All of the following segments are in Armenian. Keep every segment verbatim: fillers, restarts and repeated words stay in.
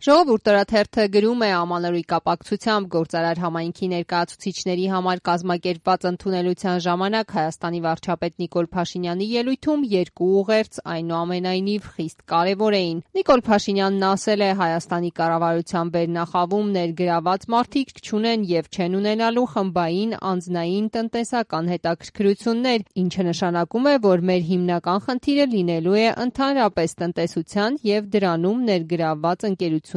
Ժողովուրդ օրաթերթը գրում է ամանորի կապակցությամբ գործարար համայնքի ներկայացուցիչների համար կազմակերպված ընդունելության ժամանակ Հայաստանի վարչապետ Նիկոլ Փաշինյանի ելույթում երկու ուղերձ այնուամենայնիվ խիստ կարևոր էին։ Նիկոլ Փաշինյանն ասել է Հայաստանի կառավարության վերնախավում ներգրաված մարդիկ չունեն եւ չեն ունենալու խմբային անձնային տնտեսական հետաքրքրություններ, ինչը նշանակում է, որ մեր հիմնական խնդիրը լինելու է ընդհանրապես տնտեսության եւ դրանում ներգրավված ընկերությունների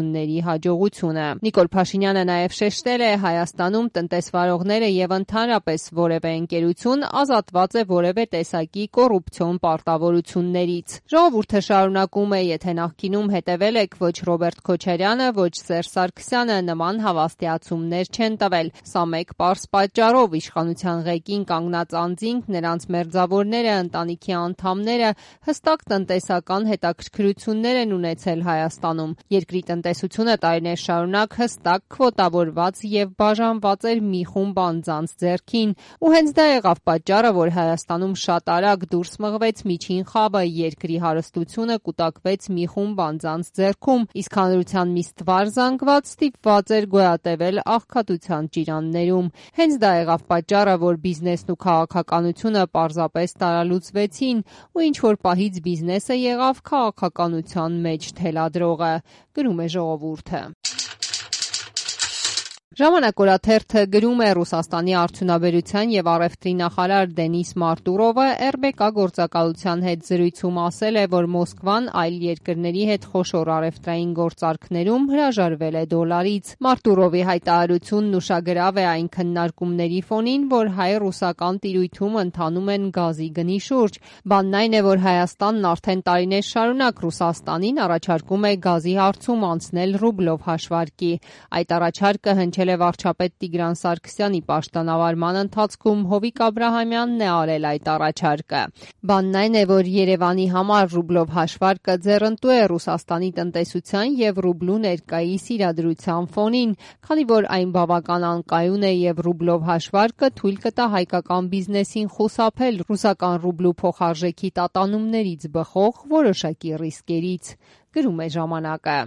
հաջողությունը։ Նիկոլ Փաշինյանը նաև շեշտել է Հայաստանում տնտեսվարողները եւ ընդհանրապես որևէ ընկերություն ազատված է որևէ տեսակի կոռուպցիոն պարտավորություններից։ Ժողովուրդը շարունակում է, եթե նախկինում հետևել եք, ոչ Ռոբերտ Քոչարյանը, ոչ Սերժ Սարգսյանը նման հավաստիացումներ չեն տվել։ Սա մեկ պարզ պատճառով իշխանության ղեկին կանգնած անձինք, նրանց մերձավորները, ընտանիքի անդամները հստակ տնտեսական հետաքրքրություններ են ունեցել Հայաստանում։ Երկրի տնտեսությունը տարիներ շարունակ հստակ քվոտավորված եւ բաժանված էր մի խումբ անձանց ձեռքին, ու հենց դա եղավ պատճառը, որ Հայաստանում շատ արագ դուրս մղվեց միջին խավը, երկրի հարստությունը կուտակվեց մի խումբ անձանց ձեռքում, իսկ հանրության մի ստվար զանգված ստիպված էր գոյատևել աղքատության ճիրաններում։ Հենց դա եղավ պատճառը, որ բիզնեսն ու քաղաքականությունը պարզապես տարալուծվեցին, ու ինչ որ պահից բիզնեսը եղավ քաղաքականության մեջ թելադրողը, գրում է Ժողովուրդը։ Ժամանակ օրաթերթը գրում է Ռուսաստանի արդյունաբերության եւ առևտրի նախարար Դենիս Մարտուրովը эр բի կա գործակալության հետ զրույցում ասել է, որ Մոսկվան այլ երկրների հետ խոշոր առևտրային գործարքներում հրաժարվել է դոլարից։ Մարտուրովի հայտարարությունն ուշագրավ է այն քննարկումների ֆոնին, որ հայ-ռուսական տիրույթում ընթանում են գազի գնի շուրջ։ Բանն այն է, որ Հայաստանն արդեն տարիներ շարունակ Ռուսաստանին առաջարկում է գազի հարցում անցնել ռուբլով հաշվարկի։ Այդ առաջարկը հնչել է վարչապետ Տիգրան Սարգսյանի պաշտոնավարման ընթացքում, Հովիկ Աբրահամյանն է արել այդ առաջարկը։ Բանն այն է, որ Երևանի համար ռուբլով հաշվարկը ձեռնտու է Ռուսաստանի տնտեսության եւ ռուբլու ներկայիս իրադրության ֆոնին, քանի որ այն բավական անկայուն է եւ ռուբլով հաշվարկը թույլ կտա հայկական բիզնեսին խուսափել ռուսական ռուբլու փոխարժեքի տատանումներից բխող որոշակի ռիսկերից, գրում է Ժամանակը։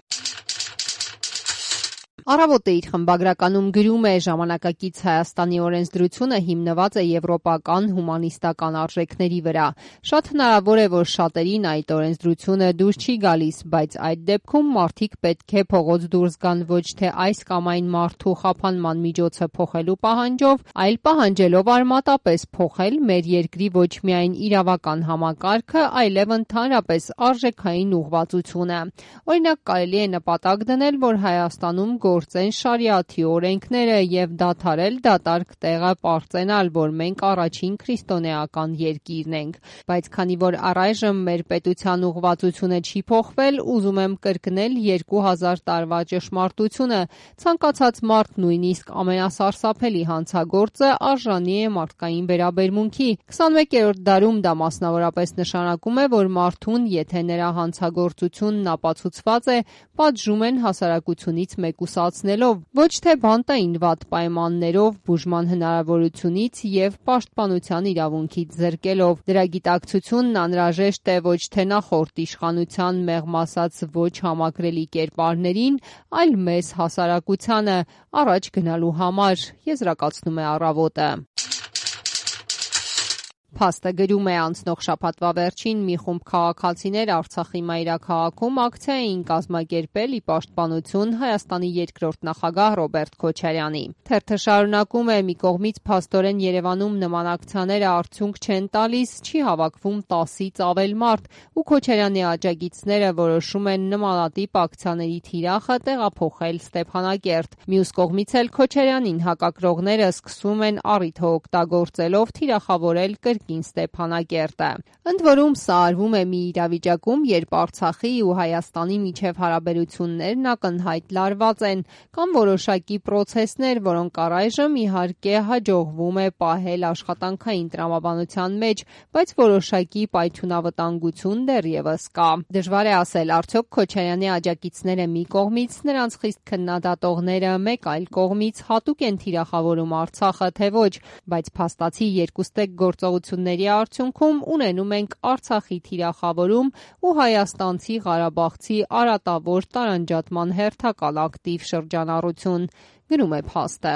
Առավոտը իր խմբագրականում գրում է ժամանակակից Հայաստանի օրենսդրությունը հիմնված է եվրոպական հումանիստական արժեքների վրա։ Շատ հնարավոր է, որ շատերին այդ օրենսդրությունը դուր չի գալիս, բայց այդ դեպքում մարդիկ պետք է փողոց դուրս գան ոչ թե այս կամ այն մարդու խափանման միջոցը փոխելու պահանջով, այլ պահանջելով արմատապես փոխել մեր երկրի ոչ միայն իրավական համակարգը, այլև ընդհանրապես արժեքային ուղղվածությունը։ Օրինակ, կարելի է նպատակ դնել, որ Հայաստանում գործեն շարիաթի օրենքները եւ դադարել դատարկ տեղը պարծենալ, որ մենք առաջին քրիստոնեական երկիրն ենք։ Բայց քանի որ առայժմ մեր պետության ուղղվածությունը չի փոխվել, ուզում եմ կրկնել երկու հազար տարվա ճշմարտությունը, ցանկացած մարդ, նույնիսկ ամենասարսափելի հանցագործը արժանի է մարդկային վերաբերմունքի։ քսանմեկերորդ դարում դա մասնավորապես նշանակում է, որ մարդուն, եթե նրա հանցագործությունն ապացուցված է, պատժում են հասարակությունից մեկուսացնելով, ոչ թե բանտային վատ պայմաններով, բուժման հնարավորությունից եւ պաշտպանության իրավունքից զրկելով։ Դրա գիտակցությունն անհրաժեշտ է ոչ թե նախորդ իշխանության մեղմ ասած ոչ համակրելի կերպարներին, այլ մեզ հասարակությանը առաջ գնալու համար, եզրակացնում է Առավոտը։ Փաստը գրում է անցնող շաբաթվա վերջին մի խումբ քաղաքացիներ Արցախի մայրաքաղաքում ակցիա էին կազմակերպել ի պաշտպանություն Հայաստանի երկրորդ նախագահ Ռոբերտ Քոչարյանի։ Թերթը շարունակում է՝ մի կողմից փաստորեն Երևանում նման ակցիաները արդյունք չեն տալիս, չի հավաքվում տասից ավել մարդ, ու Քոչարյանի աջակիցները որոշում են նմանատիպ ակցիաների թիրախը տեղափոխել Ստեփանակերտ։ Մյուս կողմից էլ Քոչարյանին հակակրողները սկսում են առիթը օգտագործելով թիրախավորել կրկին Ստեփանակերտը։ Ընդ որում սա արվում է մի իրավիճակում, երբ Արցախի ու Հայաստանի միջև հարաբերություններն ակնհայտ լարված են, կան որոշակի պրոցեսներ, որոնք առայժմ իհարկե հաջողվում է պահել աշխատանքային տրամաբանության մեջ, բայց որոշակի պայթյունավտանգություն դեռևս կա։ Դժվար է ասել, արդյոք Քոչարյանի աջակիցները մի կողմից, նրանց խիստ քննադատողները մեկ այլ կողմից հատուկ են թիրախավորում Արցախը, թե ոչ, բայց փաստացի երկուստեք գործողությունները քննարկությունների արդյունքում ունենում ենք Արցախի թիրախավորում ու հայաստանցի ղարաբաղցի արատավոր տարանջատման հերթական ակտիվ շրջանառություն, գրում է փաստը։